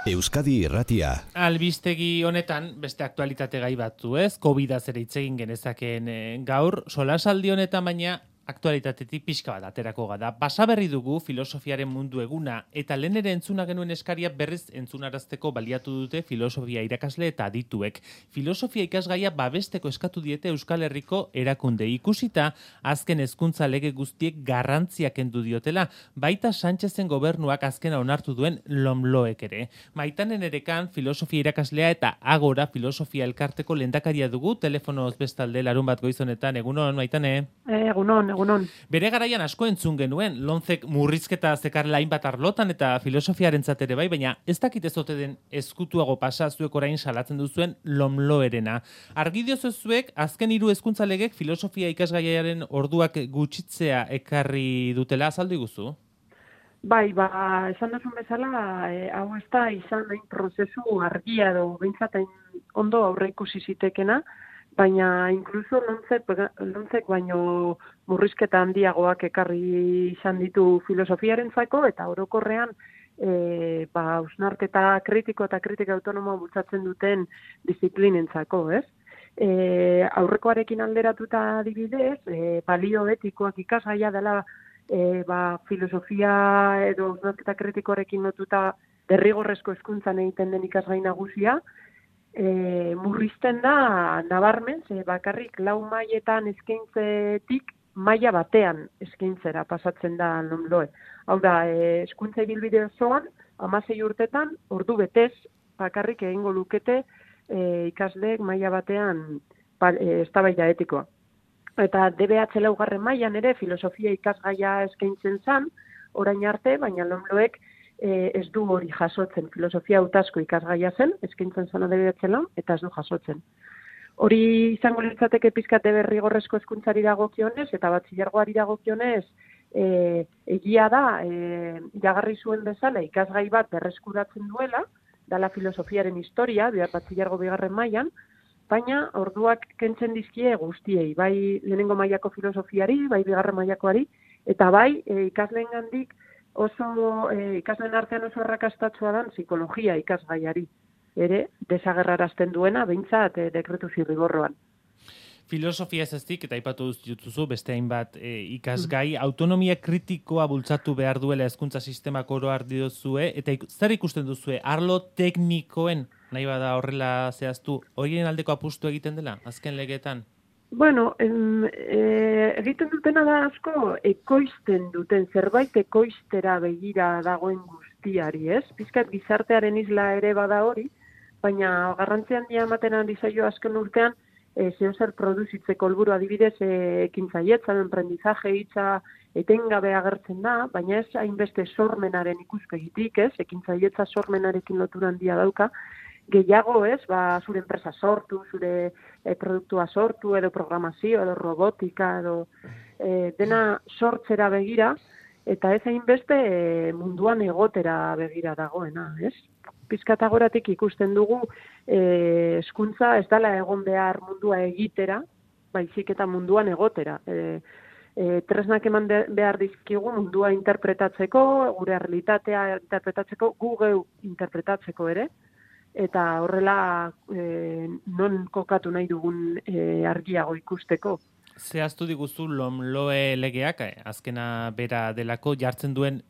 Euskadi Irratia. Albistegi honetan, beste aktualitate gai batzu ez, COVID-az ere hitz egin genezakeen gaur, solasaldi honetan baina aktualitatetik pixka bat aterako gada. Basaberri dugu filosofiaren mundu eguna, eta lehen ere entzuna genuen eskaria berriz entzunarazteko baliatu dute filosofia irakasle eta adituek. Filosofia ikasgaia babesteko eskatu diete Euskal Herriko erakunde. Ikusita, azken hezkuntza lege guztiek garrantzia kendu diotela, baita Sánchezen gobernuak azkena onartu duen LOMLOek ere. Maitanen erekan filosofia irakaslea eta Agora filosofia elkarteko lehendakaria dugu, telefonoz bestalde larun bat goizonetan. Egunon, Maitane? Egunon. Bere garaian asko entzun genuen, lonzek murrizketa zekarrela hainbat arlotan eta filosofiarentzat ere bai, baina ez dakit ez ote den ezkutuago pasa zuek orain salatzen duzuen LOMLOerena. Argi diozu zuek, azken 3 hezkuntza legek filosofia ikasgaiaren orduak gutxitzea ekarri dutela, azaldu iguzu? Bai, esan duzun bezala, hau ez da izan hain prozesu argia edo behintzat ondo aurreikusi zitekena, baina inkluso lontzek baino murrizketa handiagoak ekarri izan ditu filosofiarentzako eta orokorrean hausnarketa kritiko eta kritika autonomoa bultzatzen duten disiplinentzako, ez? Aurrekoarekin alderatuta adibidez, balio etikoak ikasgaia dela filosofia edo hausnarketa kritikoarekin lotuta derrigorrezko hezkuntzan egiten den ikasgai nagusia, murrizten da nabarmen, bakarrik 4 mailetan eskaintzetik maila batean eskaintzera pasatzen da LOMLOE. Hau da, hezkuntza ibilbide osoan 16 urtetan ordu betez bakarrik egingo lukete ikasleek maila batean eztabaida etikoa. Eta DBH laugarren mailan ere filosofia ikasgaia eskaintzen zen orain arte, baina LOMLOek ez du hori jasotzen. Filosofia hautazko ikasgaia zen, eskaintzen zen DBH eta ez du jasotzen. Hori izango litzateke pizkate derrigorrezko hezkuntzari dagokionez eta batxilergoari dagokionez, egia da, iragarri zuen bezala ikasgai bat berreskuratzen duela, dala filosofiaren historia, batxilergo 2. mailan, baina orduak kentzen dizkie guztiei, bai lehenengo mailako filosofiari, bai 2. mailakoari, eta bai ikasleengandik ikasleen artean oso arrakastatsua dan psikologia ikasgaiari ere desagerrarazten duena behintzat dekretu zirriborroan. Filosofia ez ezik, eta aipatu dituzu beste hainbat ikasgai, autonomia kritikoa bultzatu behar duela hezkuntza sistemak oro har diozue, eta zer ikusten duzue, arlo teknikoen, nahi bada horrela zehaztu, horien aldeko apustu egiten dela, azken legeetan? Bueno, egiten dutena da asko ekoizten duten, zerbait ekoiztera begira dagoen guztiari, ez? Pizkat gizartearen isla ere bada hori, baina garrantzi handia ematen ari zaio azken urtean, zeozer produzitzeko helburu adibidez ekintzailetza, emprendizaje hitza etengabe agertzen da, baina ez hainbeste sormenaren ikuspegitik, ez? Ekintzailetza sormenarekin lotura handia dauka, gehiago ez, zure enpresa sortu, zure produktua sortu, edo programazio, edo robotika, edo dena sortzera begira, eta ez hainbeste munduan egotera begira dagoena, ez? Pizkatagoratik ikusten dugu hezkuntza ez dela egon behar mundua egitera, baizik eta munduan egotera. Tresnak eman behar dizkigu mundua interpretatzeko, gure realitatea interpretatzeko, gu geu interpretatzeko ere, eta horrela non kokatu nahi dugun argiago ikusteko. Zehaztu diguzu LOMLOE legeak, azkena bera delako, jartzen duen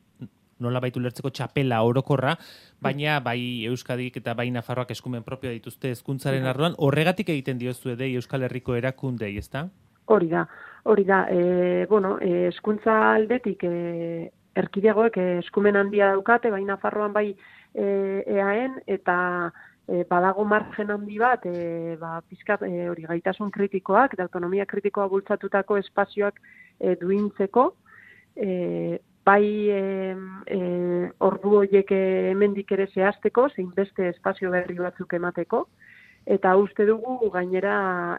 nolabait ulertzeko txapela orokorra, baina bai Euskadik eta bai Nafarroak eskumen propioa dituzte hezkuntzaren arloan, horregatik egiten diozue dei Euskal Herriko erakundei, ezta? Hori da. Hezkuntza aldetik erkidegoek eskumen handia daukate, bai Nafarroan bai EAen, eta badago margen handi bat, pizkat hori gaitasun kritikoak, eta autonomia kritikoa bultzatutako espazioak duintzeko, bai ordu horiek hemendik ere zehazteko, zein beste espazio berri batzuk emateko, eta uste dugu gainera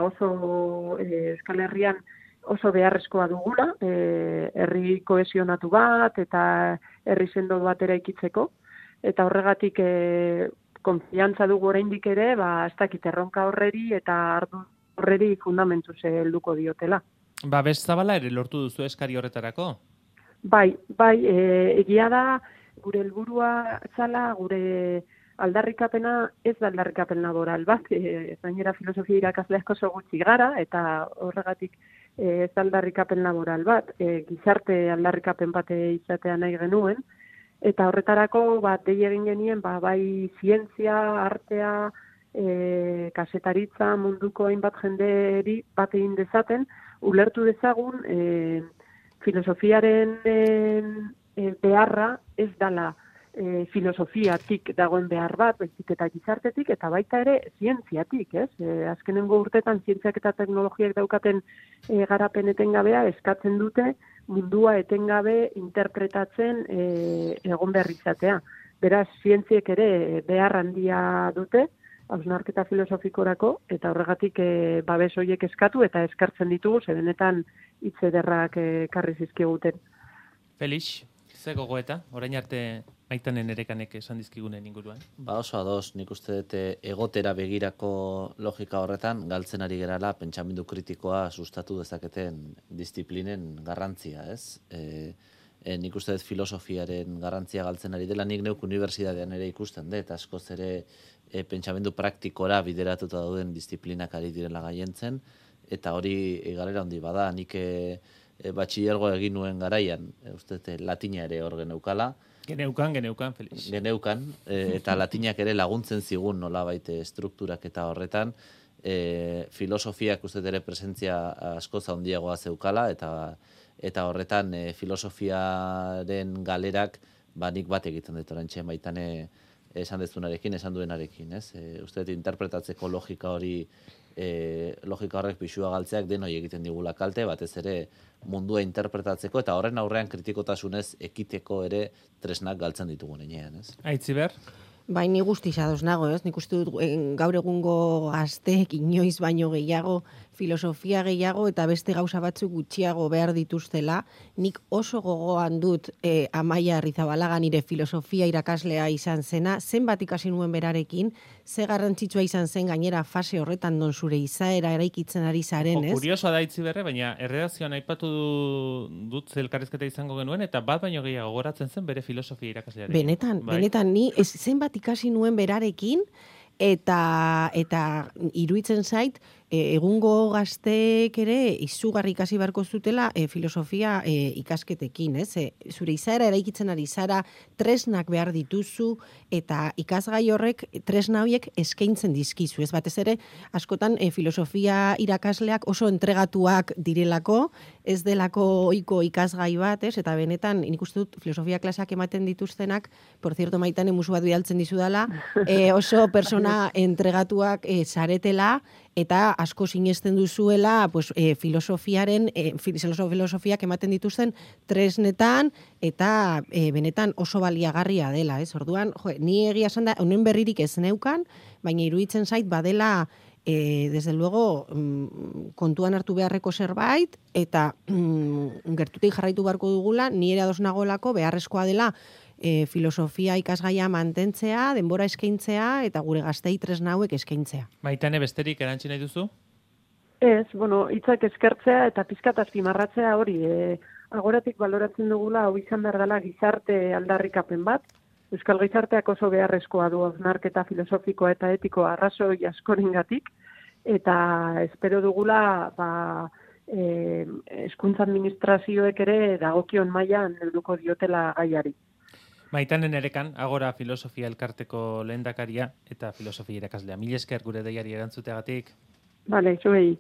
oso Euskal Herrian oso beharrezkoa dugula, herri kohesionatu bat eta herri sendo bat eraikitzeko, eta horregatik konfiantza dugu oraindik ere, ez dakit erronka horreri eta ardu horreri fundamentuz helduko diotela. Babes zabala ere lortu duzu eskari horretarako? Bai, egia da gure helburua zala, gure aldarrikapena ez da aldarrikapen laboral bat, gainera filosofia irakasle asko oso gutxi gara, eta horregatik ez da aldarrikapen laboral bat, gizarte aldarrikapen bat izatea nahi genuen, eta horretarako dei egin genien bai zientzia, artea, kasetaritza munduko hainbat jenderi bat egin dezaten, ulertu dezagun filosofiaren beharra ez dala filosofiatik dagoen behar bat, baizik eta gizartetik, eta baita ere zientziatik, ez? Azkenengo urtetan zientziak eta teknologiak daukaten garapen etengabea eskatzen dute mundua etengabe interpretatzen egon behar izatea. Beraz, zientziek ere behar handia dute, hausnarketa filosofikorako, eta horregatik babes horiek eskatu eta eskartzen ditugu, benetan hitz ederrak karri zizkiguten. Felix, ze gogoeta, orain arte Maitanen Erekanek esan dizkigunen inguruan? Oso ados, nik uste dut egotera begirako logika horretan, galtzen ari gerala pentsamendu kritikoa sustatu dezaketen disiplinen garrantzia, ez? Nik uste dut filosofiaren garrantzia galtzen ari dela, nik neuk unibertsitatean ere ikusten dut, askoz ere pentsamendu praktikora bideratuta dauden disiplinak ari direla gaientzen, eta hori galera handi bada, nik batxilergoa egin nuen garaian, uste dut latina ere hor geneukala. Geneukan, Felix. Geneukan, eta latinak ere laguntzen zigun nolabait strukturak eta horretan, filosofiak uste ere presentzia askoz handiagoa zeukala, eta horretan filosofiaren galerak nik bat egiten dut orantxe Maitane esan dezunarekin, esan duenarekin, ez? Uste dut interpretatzeko logika horrek pixua galtzeak denoi egiten digula kalte, batez ere mundua interpretatzeko, eta horren aurrean kritikotasunez ekiteko ere tresnak galtzen ditugun enean, ez? Aitziber? Bai, ni guztiz ados nago, ez? Nik uste dut gaur egungo gazteek inoiz baino gehiago, filosofia gehiago eta beste gauza batzuk gutxiago behar dituztela. Nik oso gogoan dut Amaia Arrizabalaga nire filosofia irakaslea izan zena, zenbat ikasi nuen berarekin, ze garrantzitsua izan zen gainera fase horretan non zure izaera eraikitzen ari zaren, ez? Kuriosoa da Aitziberre, baina erredakzioan aipatu dut elkarrizketa izango genuen, eta bat baino gehiago goratzen zen bere filosofia irakaslearekin. Benetan, ni zenbat ikasi nuen berarekin, eta iruditzen zait, egungo gazteek ere izugarri ikasi beharko zutela filosofia ikasketekin, ez? Zure izaera eraikitzen ari zara, tresnak behar dituzu, eta ikasgai horrek tresna horiek eskaintzen dizkizu, ez? Batez ere, askotan filosofia irakasleak oso entregatuak direlako, ez delako ohiko ikasgai bat, ez? Eta benetan, nik uste dut filosofia klaseak ematen dituztenak, por cierto, Maitane musu bat bidaltzen dizudala, oso persona entregatuak zaretela, eta asko sinesten duzuela filosofiaren, filosofiak ematen dituzten tresnetan, eta benetan oso baliagarria dela, ez? Orduan, ni egia esan da, honen berririk ez neukan, baina iruditzen zait badela, desde luego, kontuan hartu beharreko zerbait, eta gertutik jarraitu beharko dugula, ni ere ados nagoelako beharrezkoa dela, filosofia ikasgaia mantentzea, denbora eskaintzea, eta gure gaztei tresna hauek eskaintzea. Maitane, besterik erantzi nahi duzu? Ez, hitzak eskertzea eta pizkat azpimarratzea hori. Agoratik baloratzen dugula, hau izan behar dela gizarte aldarrikapen bat. Euskal gizarteak oso beharrezkoa du hausnarketa filosofikoa eta etikoa arrazoi askorengatik, eta espero dugula hezkuntza administrazioek ere dagokion mailan helduko diotela gaiari. Maitanen Erekan, Agora Filosofia Elkarteko lehendakaria eta filosofia irakaslea. Mila esker gure deiari erantzuteagatik. Bale, zuei.